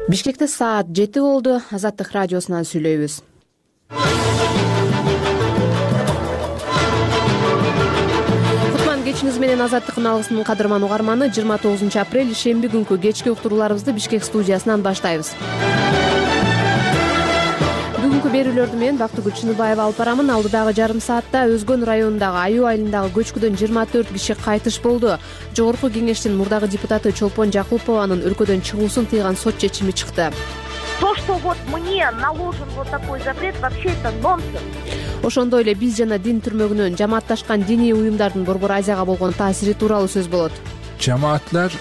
Бишкекте саат 7 болду. Азаттык радиосунан сүйлөйбүз. Кутман кечиңиз менен Азаттыктын алгысынын кадырман угарманы 29 апрель шемби күнкү кечки уктурууларыбызды Бишкек студиясынан баштайбыз. Бүгүнкү берүүлөрдү мен Бактыгүл Чыныбаева алып барамын. Алдыдагы жарым саатта Өзгөн районундагы Аюу айылындагы көчкүдөн 24 киши кайтыш болду. Жогорку кеңештин мурдагы депутаты Чолпон Жакупованын өлкөдөн чыгуусун тыйган сот чечими чыкты. То, что вот мне наложен вот такой запрет, вообще это нонсенс. Ошондой эле биз жана дин түрмөгүнөн жамаатташкан диний уюмдардын Борбор Азияга болгон таасири тууралуу сөз болот. Cemaatler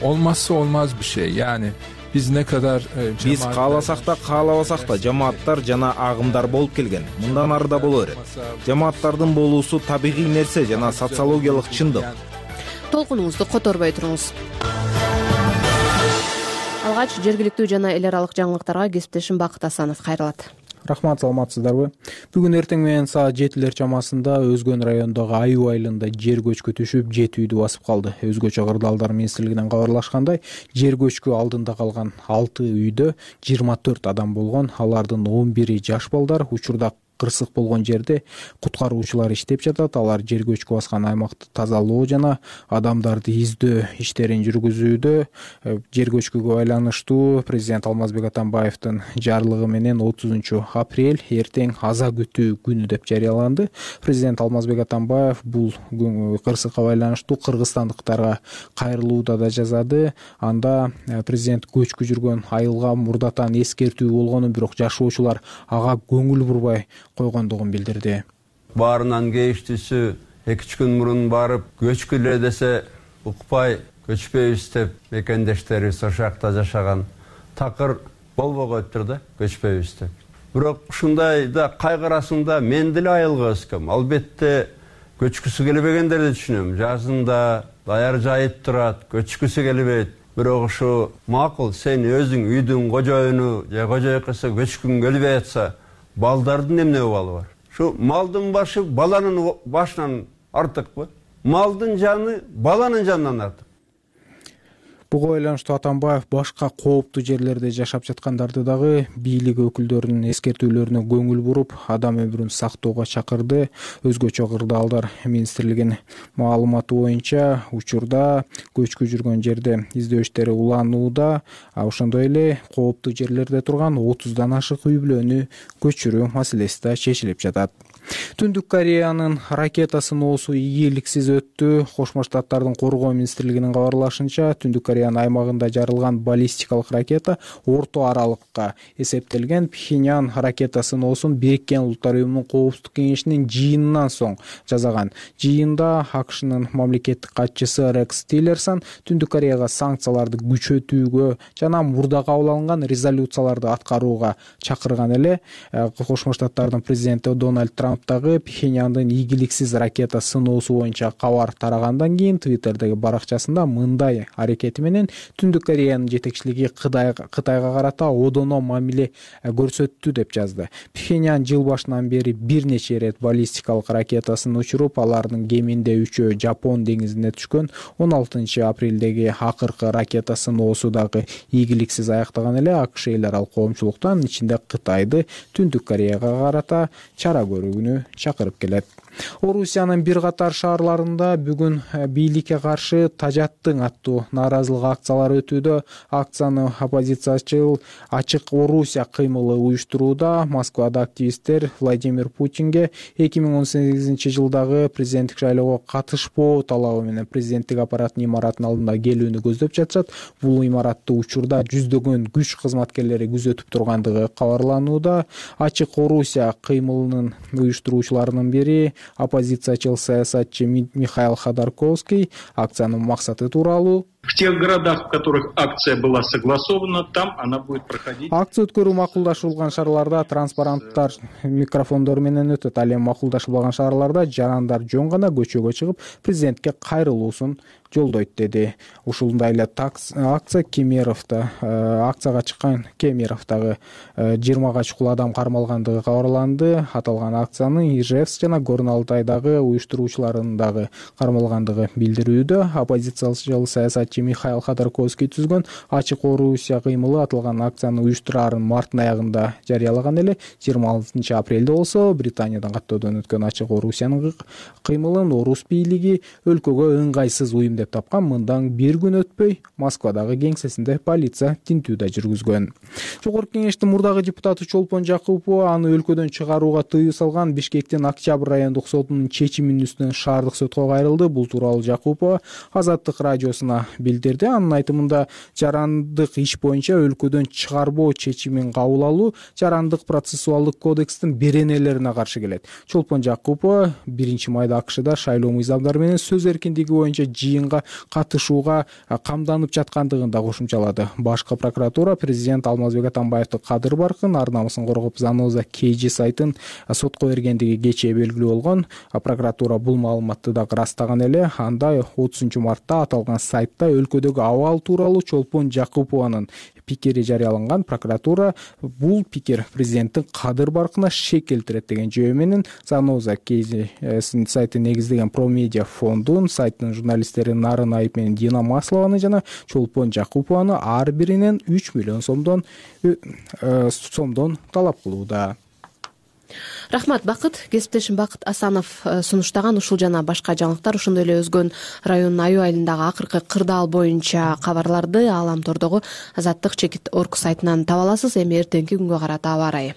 olmazsa olmaz bir şey. Yani biz ne kadar биз кааласак да каалабасак да жамааттар жана агымдар болуп келген. Мындан ары да боло берет. Жамааттардын болуусу табигый нерсе жана социологиялык чындык. Толкунуңузду которбой туруңуз. Алгач жергиликтүү жана эл аралык жаңылыктарга кесиптешим Бакыт Асанов кайрылат. Рахмат, саламатсыздарбы? Бүгүн эртең менен саат 7 чамасында Өзгөн районундагы Аюу айылында жер көчкү түшүп, 7 үйдү басып калды. Өзгөчө кырдаалдар министрлигинен кабарлашкандай, жер көчкү алдында калган 6 үйдө 24 адам болгон. Алардын 11 жаш балдар. Учурда кырсык болгон жерде куткаруучулар иштеп жатат. Алар жер көчкү баскан аймакты тазалоо жана адамдарды издөө иштерин жүргүзүүдө. Жер көчкүгө байланыштуу президент Алмазбек Атамбаевдин жарлыгы менен 30 апрель эртең аза күтүү күнү деп жарыяланды. Президент Алмазбек Атамбаев бул кырсыкка байланыштуу кыргызстандыктарга кайрылууда да жазады. Анда президент көчкү жүргөн айылга мурдатан эскертүү болгонун, бирок жашоочулар ага көңүл бурбай койгондугун билдирди. Баарынан кейиштүүсү 2 күн мурун барып көчкүлө десе укпай көчпөйбүз деп мекендештерибиз ошол жакта жашаган. Такыр болбой коюптур да көчпөйбүз деп. Бирок ушундай да кайгырасың да мен деле айылга өскөм. Албетте көчкүсү келбегендерди түшүнөм. Жазында даяр жайып турат, көчкүсү келбейт. Бирок ушу макул сен өзүң үйдүн кожоюну же кожоюкасы көчкүң келбей атса, балдардын эмне абалы бар? Şu maldın başı balanın başынан артык mı? Maldın canı balanın canından артык. Буга байланыштуу Атамбаев башка кооптуу жерлерде жашап жаткандарды дагы бийлик өкүлдөрүнүн эскертүүлөрүнө көңүл буруп, адам өмүрүн сактоого чакырды. Өзгөчө кырдаалдар министрлигинин маалыматы боюнча учурда көчкү жүргөн жерде издөө иштери уланууда. Ошондой эле кооптуу жерлерде турган 30дан ашык үй бүлөнү көчүрүү маселеси да чечилип жатат. Түндүк Кореянын ракета сыноосу ийгиликсиз өттү. Кошмо Штаттардын коргоо министрлигинин кабарлашынча, Түндүк Кореянын аймагында жарылган баллистикалык ракета орто аралыкка эсептелген. Пхеньян ракета сыноосун Бириккен Улуттар уюмунун коопсуздук кеңешинин жыйынынан соң жасаган. Жыйында АКШнын мамлекеттик катчысы Рекс Тиллерсон Түндүк Кореяга санкцияларды күчөтүүгө жана мурда кабыл алынган резолюцияларды аткарууга чакырган эле. Кошмо Штаттардын президенти Дональд Трамп дагы Пхеньяндын ийгиликсиз ракета сыноосу боюнча кабар тарагандан кийин Твиттердеги баракчасында мындай аракети менен Түндүк Кореянын жетекчилиги Кытайга карата одоно мамиле көрсөттү деп жазды. Пхеньян жыл башынан бери бир нече ирет баллистикалык ракетасын учуруп, алардын кеминде 3-өө Жапон деңизине түшкөн. 16 апрелдеги акыркы ракета сыноосу дагы ийгиликсиз аяктаган эле. АКШ эл аралык коомчулуктан ичинде Кытайды Түндүк Кореяга карата чара көрүүнү чакырып келет. Орусиянын бир катар шаарларында бүгүн бийликке каршы тажаттың аттуу нааразылык акциялары өтүүдө. Акцияны оппозициячыл Ачык Орусия кыймылы уюштурууда. Москвада активисттер Владимир Путинге 2018 жылдагы президенттик шайлоого катышпоо талабы менен президенттик аппараттын имаратынын алдында келүүнү көздөп жатышат. Бул имаратты учурда жүздөгөн күч кызматкерлери күзөтүп тургандыгы кабарланууда. Ачык Орусия кыймылынын уюштуруучуларынын бири оппозициячыл саясатчы Михаил Ходорковский акциянын максаты тууралуу: в тех городах, в которых акция была согласована, там она будет проходить. Акция өткөрүү макулдашылган шаарларда транспаранттар микрофондор менен өтөт. Ал эми макулдашылбаган шаарларда жарандар жөн гана көчөгө чыгып президентке кайрылуусун жолдойт деди. Ушундай эле акция Кемеровдо акцияга чыккан Кемеровдогу 20га чукул адам кармалгандыгы кабарланды. Аталган акциянын Ижевск жана Горно Алтайдагы уюштуруучуларынын дагы кармалгандыгы билдирүүдө. Оппозициялык саясатчы жетекчи Михаил Ходорковский түзгөн Ачык Орусия кыймылы аталган акцияны уюштураарын марттын аягында жарыялаган эле. 26 апрелде болсо Британиядан каттоодон өткөн Ачык Орусиянын кыймылын орус бийлиги өлкөгө ыңгайсыз уюм деп тапкан. Мындан бир күн өтпөй Москвадагы кеңсесинде полиция тинтүү да жүргүзгөн. Жогорку кеңештин мурдагы депутаты Чолпон Жакупова аны өлкөдөн чыгарууга тыюу салган Бишкектин Октябрь райондук сотунун чечиминин үстүнөн шаардык сотко кайрылды. Бул тууралуу Жакупова Азаттык радиосуна билдирди. Анын айтымында жарандык иш боюнча өлкөдөн чыгарбоо чечимин кабыл алуу жарандык процессуалдык кодекстин беренелерине каршы келет. Чолпон Жакупова 1-майда АКШда шайлоо мыйзамдары менен сөз эркиндиги боюнча жыйынга катышууга камданып жаткандыгын да кошумчалады. Башкы прокуратура президент Алмазбек Атамбаевди кадыр баркын, ар намысын коргоп Заноза KG сайтын сотко бергендиги кечээ белгилүү болгон. Прокуратура бул маалыматты да ырастаган эле. Анда 30 мартта аталган сайтта өлкөдөгү абал тууралуу Чолпон Жакупованын пикири жарыяланган. Прокуратура бул пикир президенттин кадыр баркына шек келтирет деген жөө менен Заноза KG сайтын негиздеген Промедиа фондун сайттын журналисттери Нарын Айып менен Дина Маслованы жана Чолпон Жакупованы ар биринен 3 миллион сомдон талап кылууда. Рахмат, Бакыт. Кесиптешим Бакыт Асанов сунуштаган ушул жана башка жаңылыктар, ошондой эле Өзгөн районунун аюу айылындагы акыркы кырдаал боюнча кабарларды Ааламтордогу Азаттык чекит орг сайтынан таба аласыз. Эми эртеңки күнгө карата аба ырайы.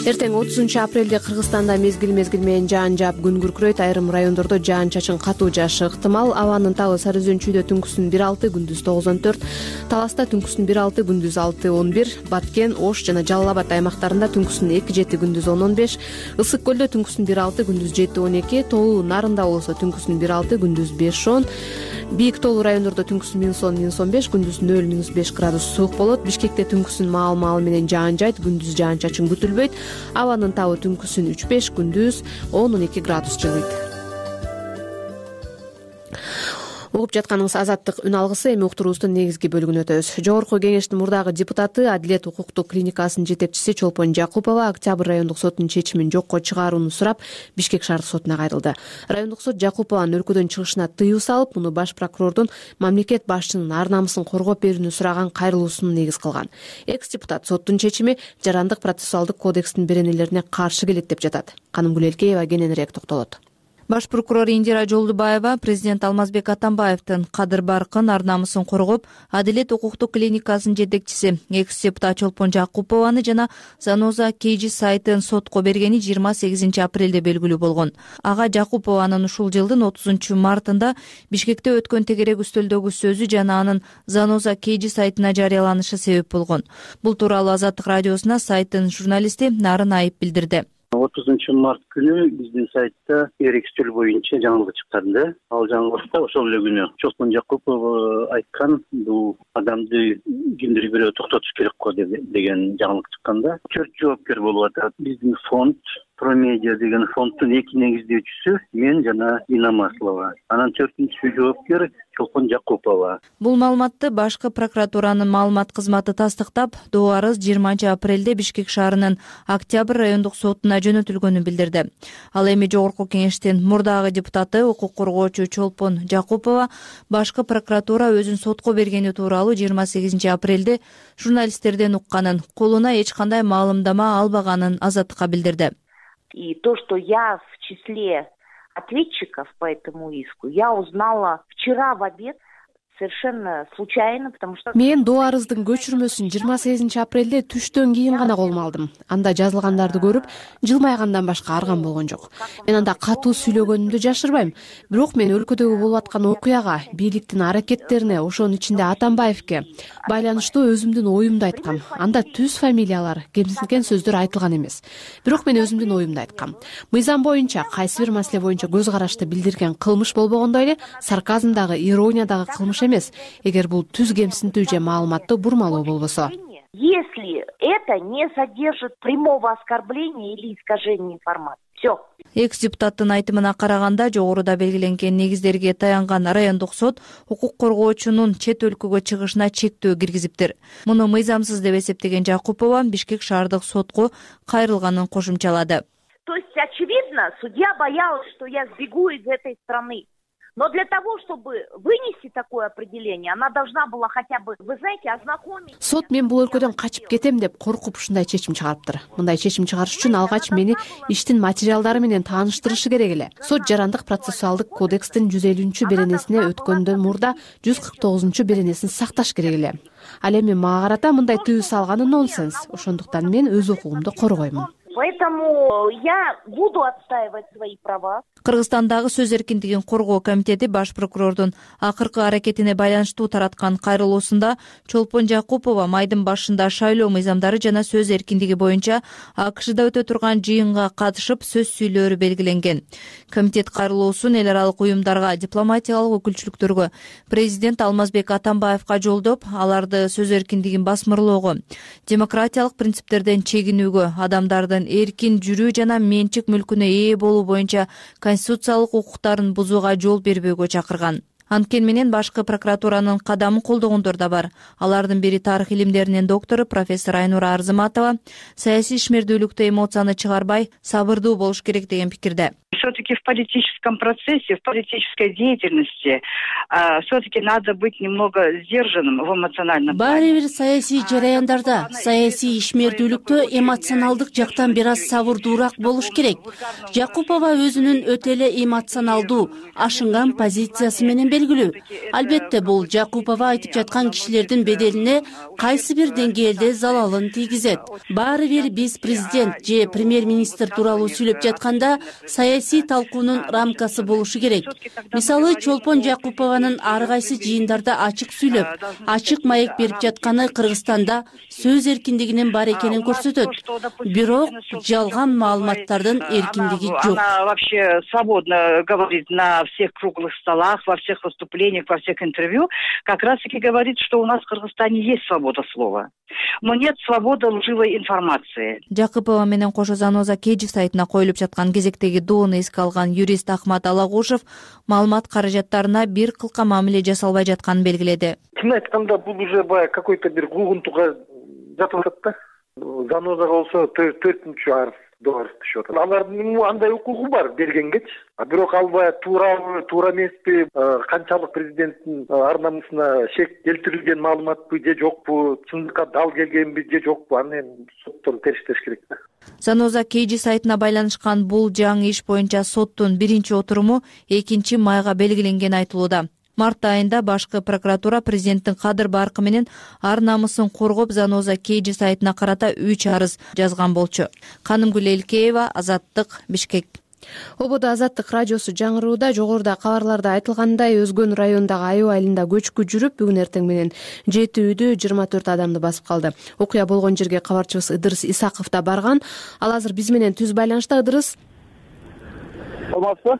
Эртең 30 апрелде Кыргызстанда мезгил менен жаан жаап күн күркүрөйт. Айрым райондордо жаан-чачын катуу жаашы ыктымал. Абанын табы Сары Өзөнчүйдө түнкүсүн 1-6, күндүз 9-14, Таласта түнкүсүн 1-6, күндүз 6-11, Баткен, Ош жана Жалал Абад аймактарында түнкүсүн 2-7, күндүз 10-15, Ысык көлдө түнкүсүн 1-6, күндүз 7-12, Тоолуу Нарында болсо түнкүсүн 1-6, күндүз 5-10, Бийик тоолуу райондордо түнкүсүн -10-15, күндүз 0-5 градус суук болот. Бишкекте түнкүсүн маал менен жаан жайт, күндүз жаан-чачын күтүлбөйт. Абанын табы түнкүсүн 3-5, күндүз 10-12 градус жылыйт. Угуп жатканыңыз Азаттык үн алгысы. Эми уктуруубуздун негизги бөлүгүнө өтөбүз. Жогорку кеңештин мурдагы депутаты, Адилет укуктук клиникасынын жетекчиси Чолпон Жакупова Октябрь райондук сотунун чечимин жокко чыгарууну сурап, Бишкек шаардык сотуна кайрылды. Райондук сот Жакупованын өлкөдөн чыгышына тыюу салып, муну баш прокурордун мамлекет башчынын ар намысын коргоп берүүнү сураган кайрылуусун негиз кылган. Экс-депутат соттун чечими жарандык процессуалдык кодекстин беренелерине каршы келет деп жатат. Канымгүл Элкеева кененирээк токтолот. Баш прокурор Индира Жолдубаева президент Алмазбек Атамбаевдин кадыр баркын, ар намысын коргоп, Адилет укуктук клиникасынын жетекчиси экс-депутат Чолпон Жакупованы жана Заноза KG сайтын сотко бергени 28 апрелде белгилүү болгон. Ага Жакупованын ушул жылдын 30 мартында Бишкекте өткөн тегерек үстөлдөгү сөзү жана анын Заноза KG сайтына жарыяланышы себеп болгон. Бул тууралуу Азаттык радиосуна сайттын журналисти Нарын Айып билдирди. 30 март күнү биздин сайтта тегерек үстөл боюнча жаңылык чыккан. Ал жаңылыкта ошол эле күнү Чолпон Жакупов айткан, бул адамды кимдир бирөө токтотуш керек го деген жаңылык чыккан. 4 жоопкер болуп атат. Биздин фонд Промедиа деген фонддун 2 негиздөөчүсү мен жана Дина Маслова. Анан 4-үнчү жоопкер Чолпон Жакупова. Бул маалыматты башкы прокуратуранын маалымат кызматы тастыктап, доо арыз 20 апрелде Бишкек шаарынын Октябрь райондук сотуна жөнөтүлгөнүн билдирди. Ал эми жогорку кеңештин мурдагы депутаты, укук коргоочу Чолпон Жакупова башкы прокуратура өзүн сотко бергени тууралуу 28 апрелде журналисттерден укканын, колуна эч кандай маалымдама албаганын Азаттыкка билдирди. И то, что я в числе ответчиков по этому иску, я узнала вчера в обед совершенно случайно, потому что... Мен доо арыздын көчүрмөсүн 28 апрелде түштөн кийин гана колума алдым. Анда жазылгандарды көрүп, жылмайгандан башка арган болгон жок. Мен анда катуу сүйлөгөнүмдү жашырбайм. Бирок мен өлкөдөгү болуп аткан окуяга, бийликтин аракеттерине, ошонун ичинде Атамбаевке байланыштуу өзүмдүн оюмду айткам. Анда түз фамилиялар, кемсинген сөздөр айтылган эмес. Бирок мен өзүмдүн оюмду айткам. Мыйзам боюнча, кайсы бир маселе боюнча көз карашты билдирген кылмыш болбогондой эле, сарказмдагы, ирониядагы кылмыш эмес. Эгер бул түз кемсинтүү же маалыматты бурмалоо болбосо. Если это не содержит прямого оскорбления или искажения информации. Все. Экс-депутаттын айтымына караганда, жогоруда белгиленген негиздерге таянган райондук сот укук коргоочунун чет өлкөгө чыгышына чектөө киргизиптир. Муну мыйзамсыз деп эсептеген Жакупова Бишкек шаардык сотко кайрылганын кошумчалады. То есть, очевидно, судья боялась, что я сбегу из этой страны. Но для того, чтобы вынести такое определение, она должна была хотя бы, вы знаете, ознакомить. Сот мен бул өлкөдөн качып кетем деп коркуп ушундай чечим чыгарыптыр. Мындай чечим чыгарыш үчүн алгач мени иштин материалдары менен тааныштырышы керек эле. Сот жарандык процессуалдык кодекстин 150-беренесине өткөндөн мурда 149-беренесин сакташ керек эле. Ал эми мага карата мындай тыюу салганы нонсенс. Ошондуктан мен өз укугумду коргоймун. Поэтому я буду отстаивать свои права. Кыргызстандагы сөз эркиндигин коргоо комитети баш прокурордун акыркы аракетине байланыштуу тараткан кайрылуусунда Чолпон Жакупова майдын башында шайлоо мыйзамдары жана сөз эркиндиги боюнча АКШда өтө турган жыйынга катышып сөз сүйлөөрү белгиленген. Комитет кайрылуусун эл аралык уюмдарга, дипломатиялык өкүлчүлүктөргө, президент Алмазбек Атамбаевка жолдоп, аларды сөз эркиндигин басмырлоого, демократиялык принциптерден чегинүүгө, адамдардын эркин жүрүү жана менчик мүлкүнө ээ болуу боюнча конституциялык укуктарын бузууга жол бербөөгө чакырган. Анткени менен башкы прокуратуранын кадамын колдогондор да бар. Алардын бири тарых илимдеринин доктору профессор Айнура Арзыматова саясий ишмердүүлүктө эмоцияны чыгарбай, сабырдуу болуш керек деген пикирде. Все-таки в политическом процессе, в политической деятельности все-таки надо быть немного сдержанным в эмоциональном плане. Баары бир саясий жараяндарда, саясий ишмердүүлүктө эмоционалдык жактан бир аз сабырдуураак болуш керек. Жакупова өзүнүн өтө эле эмоционалдуу, ашынган позициясы менен белгилүү. Албетте бул Жакупова айтып жаткан кишилердин беделине кайсы бир деңгээлде залалын тийгизет. Баары бир биз президент же премьер-министр тууралуу сүйлөп жатканда саясий талкуунун рамкасы болушу керек. Мисалы, Чолпон Жакупованын ар кайсы жыйындарда ачык сүйлөп, ачык маек берип жатканы Кыргызстанда сөз эркиндигинин бар экенин көрсөтөт. Бирок жалган маалыматтардын эркиндиги жок. Она вообще свободно говорит на всех круглых столах, во всех выступлениях, во всех интервью, как раз-таки говорит, что у нас в Кыргызстане есть свобода слова, но нет свободы лживой информации. Жакупова менен кошо Заноза Кejif сайтына коюлуп жаткан кезектеги доону эске алган юрист Ахмат Алагушев маалымат каражаттарына бир кылка мамиле жасалбай жатканын белгиледи. Чын айтканда бул уже баягы какой-то бир куугунтукка жатып атат да. Занозага болсо 4-чү арыз доллар түшүп атат. Алардын андай укугу бар бергенгечи. Бирок ал баягы туура эмеспи, канчалык президенттин ар намысына шек келтирилген маалыматпы же жокпу, чындыкка дал келгенби же жокпу, аны соттон териштеш керек да. Заноза Kejif сайтына байланышкан бул жаңы иш боюнча соттун биринчи отуруму 2-майга белгиленгени айтылууда. Март айында башкы прокуратура президенттин кадыр баркы менен ар намысын коргоп Заноза Kejif сайтына карата 3 арыз жазган болчу. Канымгүл Элкеева, Азаттык, Бишкек. Ободо Азаттык радиосу жаңырууда жогоруда кабарларда айтылгандай Өзгөн районундагы Аюу айылында көчкү жүрүп, бүгүн эртең менен 7 үйдү 24 адамды басып калды. Окуя болгон жерге кабарчыбыз Ыдырыс Исаков да барган. Ал азыр биз менен түз байланышта. Ыдырыс. Саламатсызбы?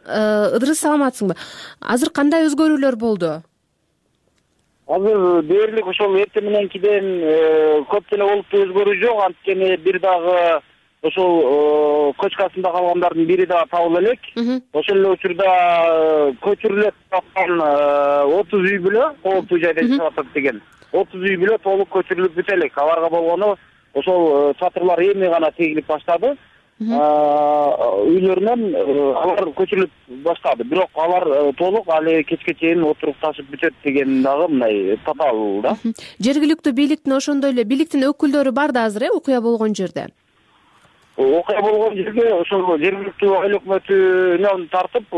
Ыдырыс, саламатсыңбы? Азыр кандай өзгөрүүлөр болду? Азыр дээрлик ошол эртең мененкиден көп деле олуттуу өзгөрүү жок, анткени бир дагы ошол кочкасында калгандардын бири да табыла элек. Ошол эле учурда көчүрүлөт аткан 30 үй бүлө кооптуу жайда жашап атат деген. 30 үй бүлө толук көчүрүлүп бүтө элек. Аларга болгону ошол чатырлар эми гана тегилип баштады. Үйлөрүнөн алар көчүрүлүп баштады. Бирок алар толук али кечке чейин отурукташып бүтөт деген дагы мындай татаал да. Жергиликтүү бийликтин ошондой эле бийликтин өкүлдөрү бар да азыр окуя болгон жерде. Окуя болгон жерге ошол жергиликтүү айыл өкмөтүнөн тартып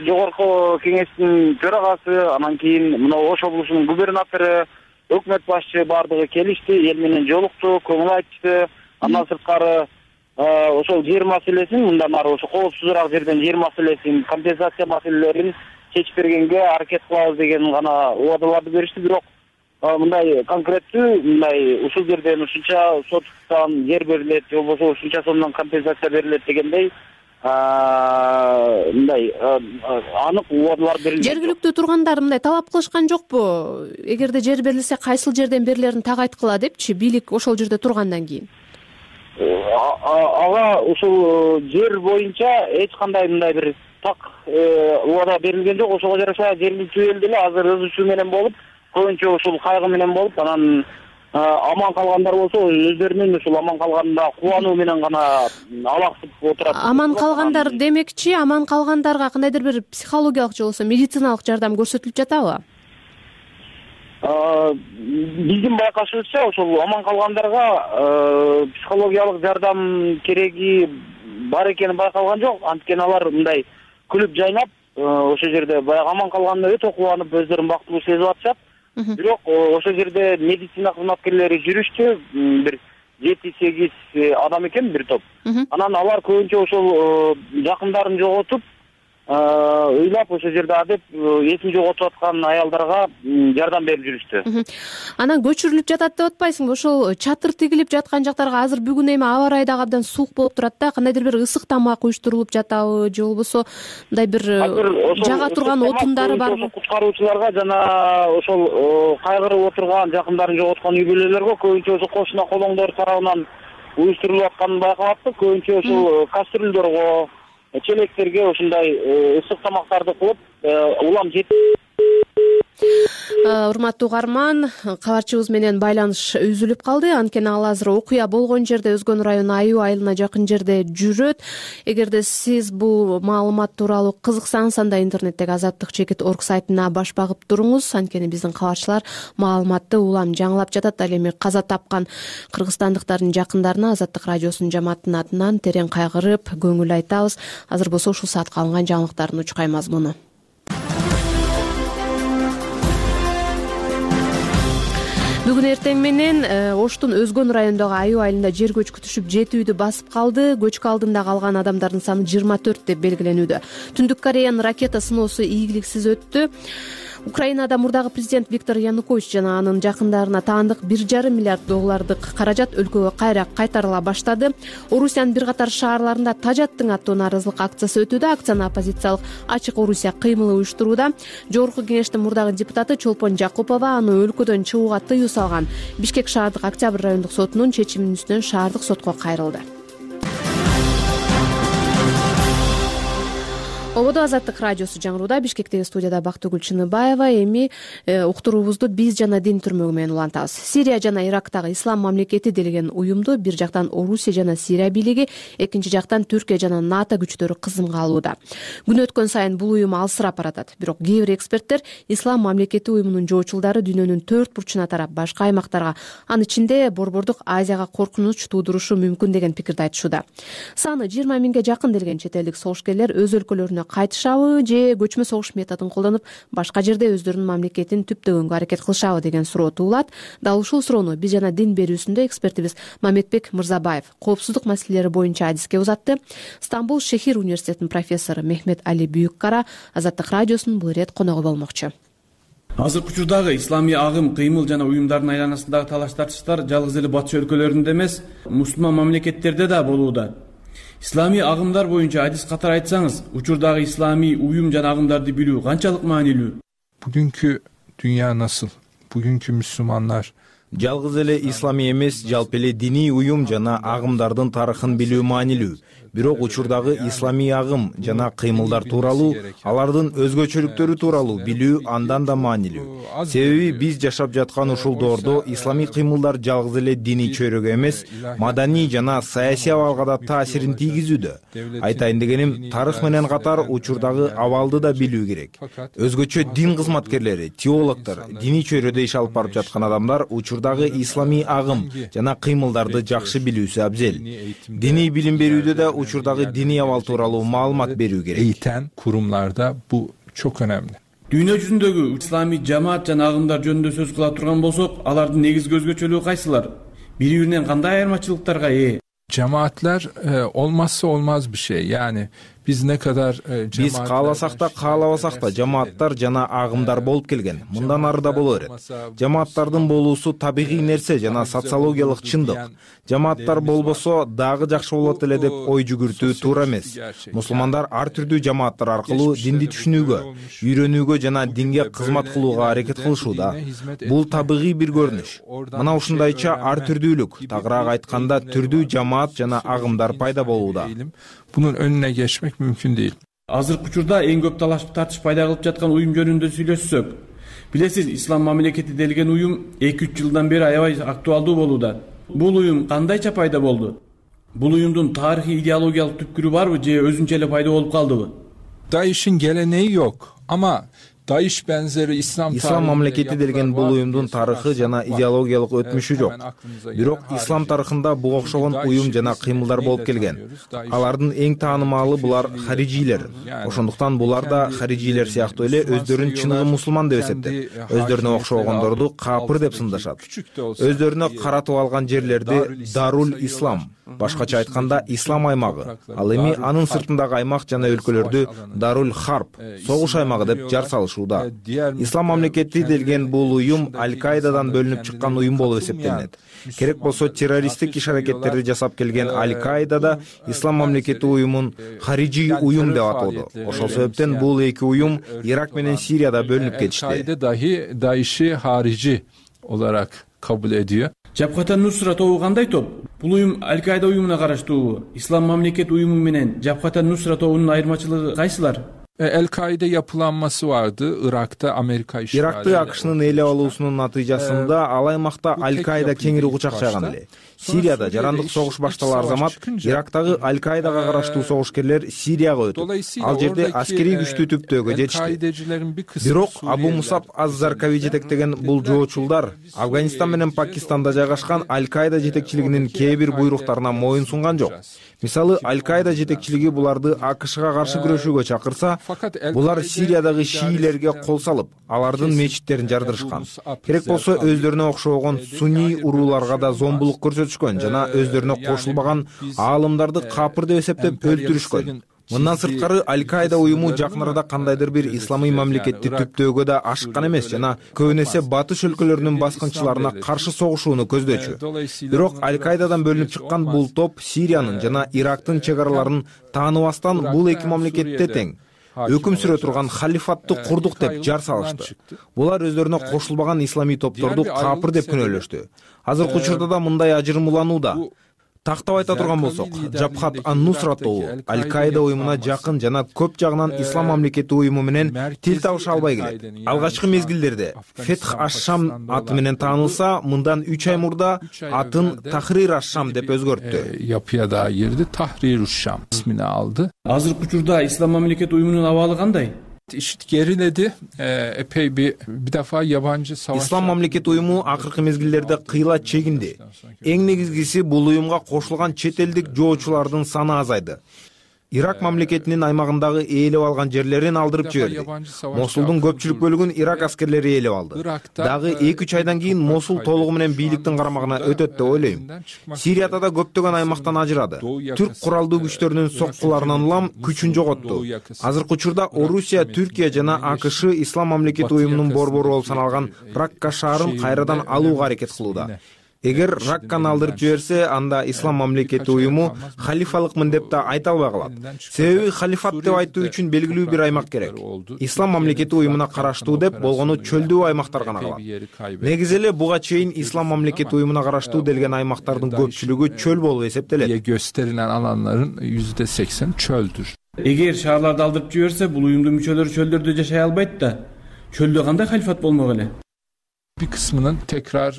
жогорку кеңештин төрагасы, анан кийин мына Ош облусунун губернатору, өкмөт башчы бардыгы келишти, эл менен жолукту, көңүл айтышты. Андан сырткары ошол жер маселесин мындан ары ошо коопсузураак жерден жер маселесин, компенсация маселелерин чечип бергенге аракет кылабыз деген гана убадаларды беришти. Бирок мындай конкреттүү мындай ушул жерден ушунча соттан жер берилет, же болбосо ушунча сомдон компенсация берилет дегендей мындай анык убадалар берилген. Жергиликтүү тургандар мындай талап кылышкан жокпу? Эгерде жер берилсе, кайсыл жерден берилерин так айткыла депчи, бийлик ошол жерде тургандан кийин. Ага ушул жер боюнча эч кандай мындай бир так убада берилген жок. Ошого жараша жергиликтүү эл деле азыр өз иши менен болуп, көбүнчө ушул кайгы менен болуп, анан аман калгандар болсо өздөрүнүн ушул аман калганына кубануу менен гана алаксып отурат. Аман калгандар демекчи, аман калгандарга кандайдыр бир психологиялык же болбосо медициналык жардам көрсөтүлүп жатабы? Биздин байкашыбызча ошол аман калгандарга психологиялык жардам кереги бар экени байкалган жок. Анткени алар мындай күлүп жайнап ошол жерде баягы аман калганына өтө кубанып өздөрүн бактылуу сезип атышат. Бирок ошол жерде медицина кызматкерлери жүрүштү, бир 7-8 адам экен бир топ. Анан алар көбүнчө ошол жакындарын жоготуп, ыйлап ошол жерде адеп эсин жоготуп аткан аялдарга жардам берип жүрүштү. Анан көчүрүлүп жатат деп атпайсыңбы? Ошол чатыр тигилип жаткан жактарга азыр бүгүн эми аба ырайы дагы абдан суук болуп турат да, кандайдыр бир ысык тамак уюштурулуп жатабы же болбосо мындай бир жага турган отундары барбы? Куткаруучуларга жана ошол кайгырып отурган жакындарын жоготкон үй бүлөлөргө көбүнчө ошо кошуна колоңдор тарабынан уюштурулуп атканын байкалаттык. Көбүнчө ошол кастрюльдөргө, челектерге ушундай ысык тамактарды кылып улам Урматтуу угарман, кабарчыбыз менен байланыш үзүлүп калды. Анткени ал азыр окуя болгон жерде, Өзгөн району Аюу айылына жакын жерде жүрөт. Эгерде сиз бул маалымат тууралуу кызыксаңыз, анда интернеттеги azatlyk.org сайтына баш багып туруңуз. Анткени биздин кабарчылар маалыматты улам жаңылап жатат. Ал эми каза тапкан кыргызстандыктардын жакындарына Азаттык радиосунун жамаатынын атынан терең кайгырып, көңүл айтабыз. Азыр болсо ушул саатка алынган жаңылыктардын учкай мазмуну. Бүгүн эртең менен Оштун Өзгөн районундагы Аюу айылында жер көчкү түшүп 7 үйдү басып калды. Көчкү алдында калган адамдардын саны 24 деп белгиленүүдө. Түндүк Кореянын ракета сыноосу ийгиликсиз өттү. Украинада мурдагы президент Виктор Янукович жана анын жакындарына таандык $1,5 миллиард каражат өлкөгө кайра кайтарыла баштады. Орусиянын бир катар шаарларында Тажаттың аттуу нааразылык акциясы өтүүдө. Акцияны оппозициялык Ачык Орусия кыймылы уюштурууда. Жогорку кеңештин мурдагы депутаты Чолпон Жакупова аны өлкөдөн чыгууга тыюу салган. Бишкек шаардык Октябрь райондук сотунун чечиминин үстүнөн шаардык сотко кайрылды. Ободо Азаттык радиосу жаңырууда. Бишкектеги студияда Бактыгүл Чыныбаева. Эми уктуруубузду биз жана дин түрмөгү менен улантабыз. Сирия жана Ирактагы ислам мамлекети делеген уюмду бир жактан Орусия жана Сирия бийлиги, экинчи жактан Түркия жана НАТО күчтөрү кызымга алууда. Күн өткөн сайын бул уюм алысырап баратат. Бирок кээ бир эксперттер ислам мамлекети уюмунун жоочулдары дүйнөнүн 4 бурчуна тарап башка аймактарга, анын ичинде Борбордук Азияга коркунуч туудурушу мүмкүн деген пикирди айтышууда. Саны 20 миңге жакын делген чет элдик согушкерлер өз өлкөлөрүнө кайтышабы же көчмө согуш методун колдонуп башка жерде өздөрүнүн мамлекетин түптөгөнгө аракет кылышабы деген суроо туулат. Дал ушул суроону биз жана дин берүүсүндө экспертибиз Мамедбек Мырзабаев коопсуздук маселелери боюнча адиске узатты. Стамбул Шехир университетинин профессору Мехмет Али Бүйүккара Азаттык радиосунун бул ирет коногу болмокчу. Азыркы учурдагы исламий агым, кыймыл жана уюмдардын айланасындагы талаш тартыштар жалгыз эле батыш өлкөлөрүндө эмес, мусулман мамлекеттерде да болууда. Исламий агымдар боюнча адис катары айтсаңыз, учурдагы исламий уюм жана агымдарды билүү канчалык маанилүү? Бүгүнкү дүйнө насыл? Бүгүнкү мусулмандар жалгыз эле исламий эмес, жалпы эле диний уюм жана агымдардын тарыхын билүү маанилүү. Бирок учурдагы исламий агым жана кыймылдар тууралуу, алардын өзгөчөлүктөрү тууралуу билүү андан да маанилүү. Себеби биз жашап жаткан ушул доордо исламий кыймылдар жалгыз эле диний чөйрөгө эмес, маданий жана саясий абалга да таасирин тийгизүүдө. Айтайын дегеним, тарых менен катар учурдагы абалды да билүү керек. Өзгөчө дин кызматкерлери, теологдор, диний чөйрөдө иш алып барып жаткан адамдар учурдагы исламий агым жана кыймылдарды жакшы билүүсү абзел. Диний билим берүүдө да учурдагы диний абал тууралуу маалымат берүү керек. Эйтен курумларда бул çok önemli. Дүйнө жүзүндөгү исламий жамаат жана агымдар жөнүндө сөз кыла турган болсок, алардын негизги өзгөчөлүгү кайсылар? Бири-биринен кандай айырмачылыктарга ээ? Cemaatler olmazsa olmaz bir şey. Yani biz ne kadar биз кааласак да каалабасак да жамааттар жана агымдар болуп келген. Мындан ары да боло берет. Жамааттардын болуусу табигый нерсе жана социологиялык чындык. Жамааттар болбосо дагы жакшы болот эле деп ой жүгүртүү туура эмес. Мусулмандар ар түрдүү жамааттар аркылуу динди түшүнүүгө, үйрөнүүгө жана динге кызмат кылууга аракет кылышууда. Бул табигый бир көрүнүш. Мына ушундайча ар түрдүүлүк, тагыраак айтканда түрдүү жамаат жана агымдар пайда болууда. Bunun önüne geçmek mümkün değil. Азыркы учурда эң көп талаш тартыш пайда кылып жаткан уюм жөнүндө сүйлөшсөк, Билесиз, ислам мамлекети делген уюм 2-3 жылдан бери аябай актуалдуу болууда. Бул уюм кандайча пайда болду? Бул уюмдун тарыхый идеологиялык түпкүрү барбы же өзүнчө эле пайда болуп калдыбы? DAEŞ'in geleneği yok ama DAEŞ benzeri İslam мамлекети делген бул уюмдун тарыхы жана идеологиялык өтмүшү жок. Бирок ислам тарыхында буга окшогон уюм жана кыймылдар болуп келген. Алардын эң таанымалы булар харижилер. Ошондуктан булар да харижилер сыяктуу эле өздөрүн чыныгы мусулман деп эсептеп, өздөрүнө окшогондорду капыр деп сындашат. Өздөрүнө каратып алган жерлерди Дарул Ислам, башкача айтканда ислам аймагы, ал эми анын сыртындагы аймак жана өлкөлөрдү Дарул Харп, согуш аймагы деп жар салышат. Ислам мамлекети делген бул уюм Аль-Каидадан бөлүнүп чыккан уюм болуп эсептелинет. Керек болсо террористтик иш-аракеттерди жасап келген Аль-Каидада Ислам мамлекети уюмун хариджи уюм деп атоодо. Ошол себептен бул эки уюм Ирак менен Сирияда бөлүнүп кетишти. Al-Kaide dahi DAEŞ'i harici olarak kabul ediyor. Жапката Нусра тобу кандай топ? Бул уюм Аль-Каида уюмуна караштуубу? Ислам мамлекет уюму менен Жапката Нусра тобунун айырмачылыгы кайсылар? El-Kaide yapılanması vardı. Irak'ta Amerika işgali. Иракты АКШнын ээлеп алуусунун натыйжасында ал аймакта Аль-Каида кеңири кучакчаган эле. Сирияда жарандык согуш башталар замат Ирактагы Аль-Каидага караштуу согушкерлер Сирияга өтүп, ал жерде аскерий күчтүү түптөөгө жетишти. Бирок Абу Мусаб аз-Заркави жетектеген бул жоочулдар Афганистан менен Пакистанда жайгашкан Аль-Каида жетекчилигинин кээ бир буйруктарына моюн сунган жок. Мисалы, Аль-Каида жетекчилиги буларды АКШга каршы күрөшүүгө чакырса, булар Сириядагы шиилерге кол салып, алардын мечиттерин жардырышкан. Керек болсо өздөрүнө окшогон сунний урууларга да зомбулук көрсөтүшкөн жана өздөрүнө кошулбаган аалымдарды капыр деп эсептеп өлтүрүшкөн. Мындан сырткары Аль-Каида уюму жакын арада кандайдыр бир исламый мамлекетти түптөөгө да ашыккан эмес жана көбүн эсе батыш өлкөлөрүнүн баскынчыларына каршы согушууну көздөчү. Бирок Аль-Каидадан бөлүнүп чыккан бул топ Сириянын жана Ирактын чек араларын тааныбастан бул эки мамлекетте тең өкүм сүрө турган халифатты курдук деп жар салышты. Булар өздөрүнө кошулбаган исламий топторду капыр деп күнөөлөштү. Азыркы учурда да мындай ажырымууланууда. Тактап айта турган болсок, Жабхат ан-Нусра тобу Аль-Каида уюмуна жакын жана көп жагынан ислам мамлекети уюму менен тил табыша албай келет. Алгачкы мезгилдерде Фетх аш-Шам аты менен таанылса, мындан 3 ай мурда атын Тахрир аш-Шам деп өзгөрттү. Yapıya da girdi, Tahrir аш-Шам ismini aldı. Азыркы учурда ислам мамлекет уюмунун абалы кандай? İşit geriledi. Epey bir defa yabancı savaş. İslam мамлекет уюму акыркы мезгилдерде кыйла чегинди. Эң негизгиси бул уюмга кошулган чет элдик жоочулардын саны азайды. Ирак мамлекетинин аймагындагы ээлеп алган жерлерин алдырып жиберди. Мосулдун көпчүлүк бөлүгүн Ирак аскерлери ээлеп алды. Дагы 2-3 айдан кийин Мосул толугу менен бийликтин карамагына өтөт деп ойлойм. Сирияда да көптөгөн аймактан ажырады. Түрк куралдуу күчтөрүнүн соккуларынан улам күчүн жоготту. Азыркы учурда Орусия, Түркия жана АКШ ислам мамлекети уюмунун борбору болуп саналган Ракка шаарын кайрадан алууга аракет кылууда. Эгер Ракканы алдырып жиберсе, анда ислам мамлекети уюму халифалыкмын деп да айта албай калат. Себеби халифат деп айтуу үчүн белгилүү бир аймак керек. Ислам мамлекети уюмуна караштуу деп болгону чөлдүү аймактар гана калат. Негизи эле буга чейин ислам мамлекети уюмуна караштуу делген аймактардын көпчүлүгү чөл болуп эсептелет. Gösterilen alanların %80 çöldür. Эгер шаарларды алдырып жиберсе, бул уюмдун мүчөлөрү чөлдөрдө жашай албайт да. Чөлдө кандай халифат болмок эле? Bir kısmının tekrar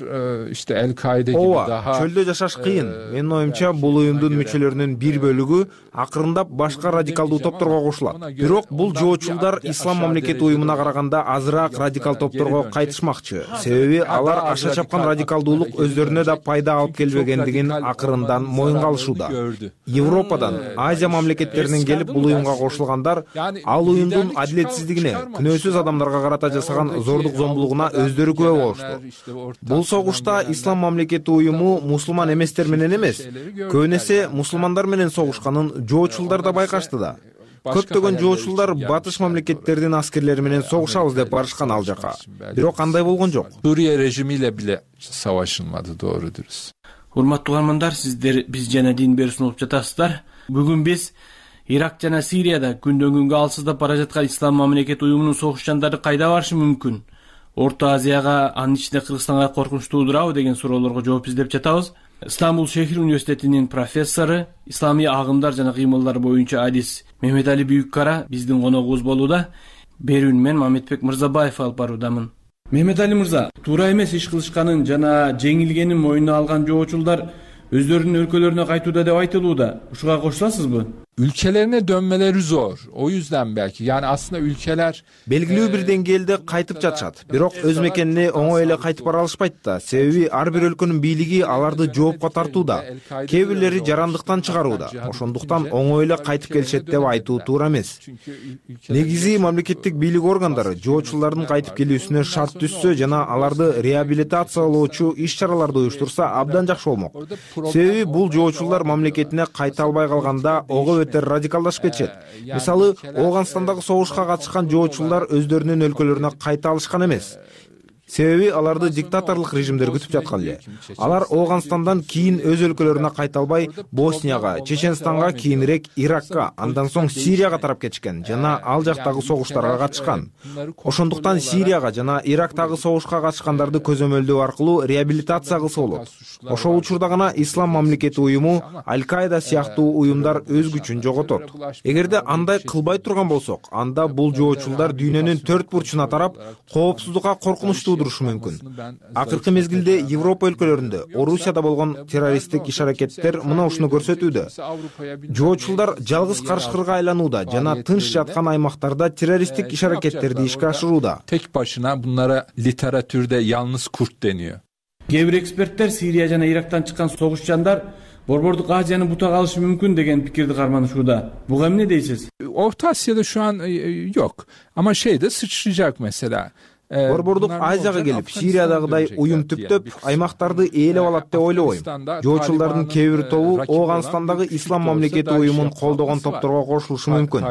işte El-Kaide gibi daha çölde жашаш кыйын. Менин оюмча бул уюмдун мүчөлөрүнүн бир бөлүгү акырындап башка радикалдуу топторго кошулат. Бирок бул жоочулдар ислам мамлекети уюмуна караганда азыраак радикал топторго кайтышмакчы. Себеби алар аша чапкан радикалдуулук өздөрүнө да пайда алып келбегендигин акырындан моюнга алышууда. Европадан, Азия мамлекеттеринен келип бул уюмга кошулгандар ал уюмдун адилетсиздигине, күнөөсүз адамдарга карата жасаган зордук зомбулугуна өздөрү күбө. Бул согушта ислам мамлекети уюму мусулман эместер менен эмес, көбүн эсе мусулмандар менен согушканын жоочулдар да байкашты да. Көптөгөн жоочулдар батыш мамлекеттердин аскерлери менен согушабыз деп барышкан ал жака. Бирок андай болгон жок. Suriye rejimiyle bile savaşılmadı, doğru dürüst. Урматтуу угармандар, сиздер биз жана дин берүүсүн угуп жатасыздар. Бүгүн биз Ирак жана Сирияда күндөн күнгө алсыздап бара жаткан ислам мамлекети уюмунун согушчандары кайда барышы мүмкүн? Орто Азияга, анын ичинде Кыргызстанга коркунуч туудурабы деген суроолорго жооп издеп жатабыз. Стамбул шехир университетинин профессору, исламий агымдар жана кыймылдар боюнча адис Мехметали Бүйүккара биздин коногубуз болууда. Берүүнү мен Мамедбек Мырзабаев алып баруудамын. Мехметали мырза, туура эмес иш кылышканын жана жеңилгенин мойнуна алган жоочулдар өздөрүнүн өлкөлөрүнө кайтууда деп айтылууда. Ушуга кошуласызбы? Ülkelerine dönmeleri zor. O yüzden belki. Yani aslında ülkeler белгилүү бир деңгээлде кайтып жатышат, бирок өз мекенине оңой эле кайтып бара алышпайт да. Себеби ар бир өлкөнүн бийлиги аларды жоопко тартууда. Кээ бирлери жарандыктан чыгарууда. Ошондуктан оңой эле кайтып келишет деп айтуу туура эмес. Негизи мамлекеттик бийлик органдары жоочулардын кайтып келүүсүнө шарт түзсө жана аларды реабилитациялоочу иш-чараларды уюштурса абдан жакшы болмок. Себеби бул жоочулар мамлекетине кайта албай калганда ого радикалдашып кетишет. Мисалы, Ооганстандагы согушка катышкан жоочулар өздөрүнүн өлкөлөрүнө кайта алышкан эмес. Себеби аларды диктаторлук режимдер күтүп жаткан эле. Алар Ооганстандан кийин өз өлкөлөрүнө кайта албай, Боснияга, Чеченстанга, кийинирээк Иракка, андан соң Сирияга тарап кетишкен жана ал жактагы согуштарга катышкан. Ошондуктан Сирияга жана Ирактагы согушка катышкандарды көзөмөлдөө аркылуу реабилитация кылса болот. Ошол учурда гана Ислам мамлекети уюму, Аль-Каида сыяктуу уюмдар өз күчүн жоготот. Эгерде андай кылбай турган болсок, анда бул жоочулдар дүйнөнүн төрт бурчуна тарап, коопсуздукка коркунучтуу турушу мүмкүн. Акыркы мезгилде Европа өлкөлөрүндө, Орусияда болгон террористтик иш-аракеттер мына ушуну көрсөтүүдө. Жоочулдар жалгыз карышкырга айланууда жана тынч жаткан аймактарда террористтик иш-аракеттерди ишке ашырууда. Tek başına bunlara literatürde yalnız kurt deniyor. Кээ бир эксперттер Сирия жана Ирактан чыккан согушчандар Борбордук Азияны бута калышы мүмкүн деген пикирди карманышууда. Буга эмне дейсиз? Orta Asya'da şu an yok. Ama şeyde sıçrayacak mesela. Борбордук Азияга келип, Сириядагыдай уюм түптөп, аймактарды ээлеп алат деп ойлобойм. Жоочулардын кээ бир тобу Ооганстандагы Ислам мамлекети уюмун колдогон топторго кошулушу мүмкүн.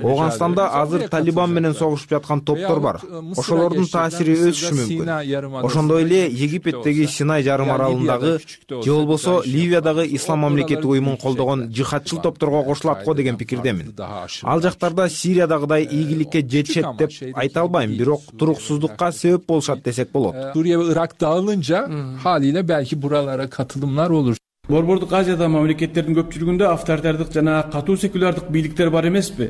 Ооганстанда азыр Талибан менен согушуп жаткан топтор бар. Ошолордун таасири өсүшү мүмкүн. Ошондой эле Египеттеги Синай жарым аралындагы же болбосо Ливиядагы Ислам мамлекети уюмун колдогон жихадчыл топторго кошулат го деген пикирдемин. Ал жактарда Сириядагыдай ийгиликке жетишет деп айта албайм, бирок туруксуз sebep boluşat desek bolot. Suriye ve Irak dağılınca haliyle belki buralara katılımlar olur. Борбордук Азияда мамлекеттердин көпчүлүгүндө авторитардык жана катуу секулярдык бийликтер бар эмеспи?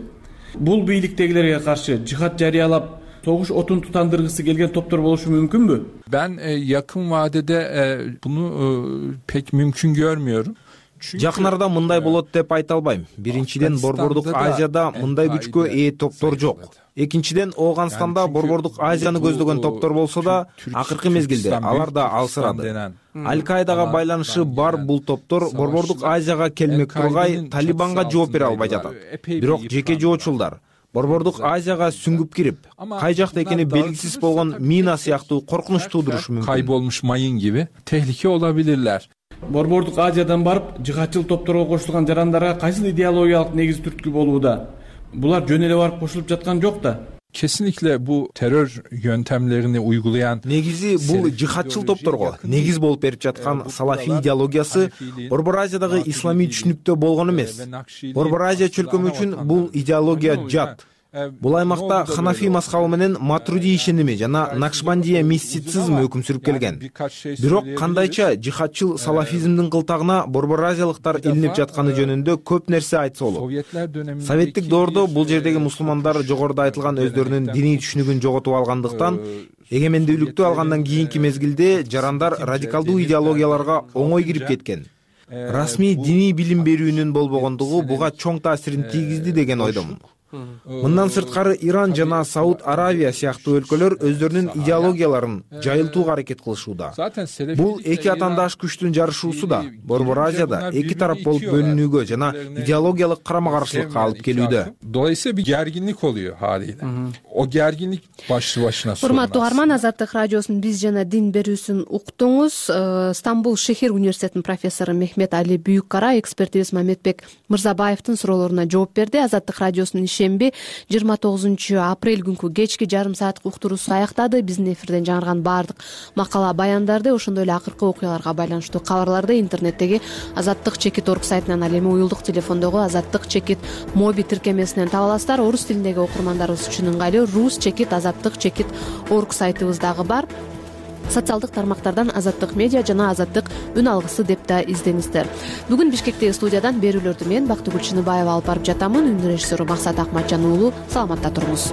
Бул бийликтегилерге каршы жихад жарыялап, согуш отун тутандыргысы келген топтор болушу мүмкүнбү? Ben yakın vadede bunu pek mümkün görmüyorum. Жакын арада мындай болот деп айта албайм. Биринчиден, Борбордук Азияда мындай күчкө ээ топтор жок. Экинчиден, Ооганстанда Борбордук Азияны көздөгөн топтор болсо да, акыркы мезгилде алар да алсырады. Аль-Каидага байланышы бар бул топтор Борбордук Азияга келмек тургай Талибанга жооп бере албай жатат. Бирок жеке жоочулдар Борбордук Азияга сүңгүп кирип, кай жакта экени белгисиз болгон мина сыяктуу коркунуч туудурушу мүмкүн. Kaybolmuş mayın gibi tehlike olabilirler. Борбордук Азиядан барып, жихадчыл топторго кошулган жарандарга кайсыл идеологиялык негиз түрткү болууда? Булар жөн эле барып кошулуп жаткан жок да. Kesinlikle bu terör yöntemlerini uygulayan негизи бул жихадчыл топторго негиз болуп берип жаткан салафи идеологиясы Борбор Азиядагы исламий түшүнүктө болгон эмес. Борбор Азия чөлкөмү үчүн бул идеология жат. Бул аймакта Ханафи мазхабы менен Матруди ишеними жана Накшбандия мистицизм өкүм сүрүп келген. Бирок кандайча жихадчыл салафизмдин кылтагына борбор азиялыктар илинип жатканы жөнүндө көп нерсе айтса болот. Советтик доордо бул жердеги мусулмандар жогоруда айтылган өздөрүнүн диний түшүнүгүн жоготуп алгандыктан, эгемендүүлүктү алгандан кийинки мезгилде жарандар радикалдуу идеологияларга оңой кирип кеткен. Расмий диний билим берүүнүн болбогондугу буга чоң таасирин тийгизди деген ойдомун. Мындан сырткары Иран жана Сауд Аравия сыяктуу өлкөлөр өздөрүнүн идеологияларын жайылтууга аракет кылышууда. Бул эки атаандаш күчтүн жарышуусу да Борбор Азияда эки тарап болуп бөлүнүүгө жана идеологиялык карама-каршылыкка алып келүүдө. Dolayısıyla bir gerginlik oluyor haliyle. O gerginlik başlı başına sorun. Урматтуу Арман, Азаттык радиосунун биз жана дин берүүсүн уктуңуз. Стамбул шехир университетинин профессору Мехметали Бүйүккара экспертибиз Мамедбек Мырзабаевдин суроолоруна жооп берди. Азаттык радиосунун шемби 29 апрель күнкү кечки жарым сааттык уктуруусу аяктады. Биздин эфирден жаңырган баардык макала баяндарды, ошондой эле акыркы окуяларга байланыштуу кабарларды интернеттеги azattik.org сайтынан, ал эми уюлдук телефондогу azattik моби тиркемесинен таба аласыздар. Орус тилиндеги окурмандарыбыз үчүн ыңгайлуу rus.azattik.org сайтыбыз дагы бар. Социалдык тармактардан Азаттык медиа жана Азаттык үн алгысы деп да издеңиздер. Бүгүн Бишкектеги студиядан берүүлөрдү мен Бактыгүл Чыныбаева алып барып жатамын. Үн режиссеру Максат Акматжан уулу. Саламатта туруңуз.